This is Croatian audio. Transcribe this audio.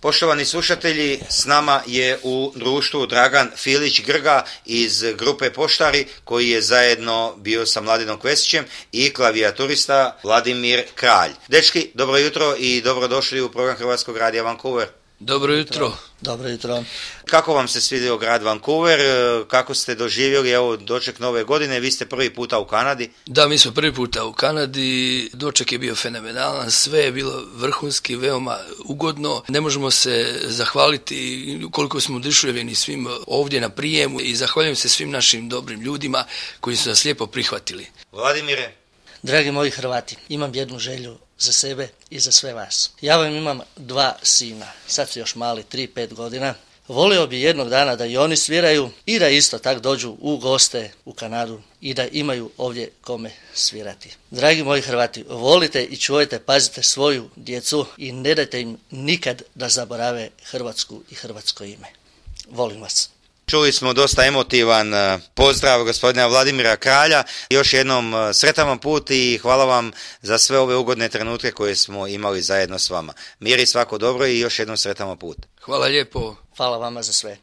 Poštovani slušatelji, s nama je u društvu Dragan Filić-Grga iz grupe Poštari, koji je zajedno bio sa Mladinom Kvesićem, i klavijaturista Vladimir Kralj. Dečki, dobro jutro i dobrodošli u program Hrvatskog radija Vancouver. Dobro jutro. Dobro jutro. Kako vam se svidio grad Vancouver? Kako ste doživjeli doček nove godine? Vi ste prvi puta u Kanadi. Da, mi smo prvi puta u Kanadi. Doček je bio fenomenalan. Sve je bilo vrhunski, veoma ugodno. Ne možemo se zahvaliti koliko smo oduševljeni svim ovdje na prijemu i zahvaljujem se svim našim dobrim ljudima koji su nas lijepo prihvatili. Vladimire? Dragi moji Hrvati, imam jednu želju za sebe i za sve vas. Ja vam imam 2 sina, sad su još mali, 3-5 godina. Volio bi jednog dana da i oni sviraju i da isto tak dođu u goste u Kanadu i da imaju ovdje kome svirati. Dragi moji Hrvati, volite i čuvajte, pazite svoju djecu i ne dajte im nikad da zaborave Hrvatsku i hrvatsko ime. Volim vas. Čuli smo dosta emotivan pozdrav gospodina Vladimira Kralja. Još jednom sretan vam put i hvala vam za sve ove ugodne trenutke koje smo imali zajedno s vama. Mir i svako dobro i još jednom sretan vam put. Hvala lijepo. Hvala vama za sve.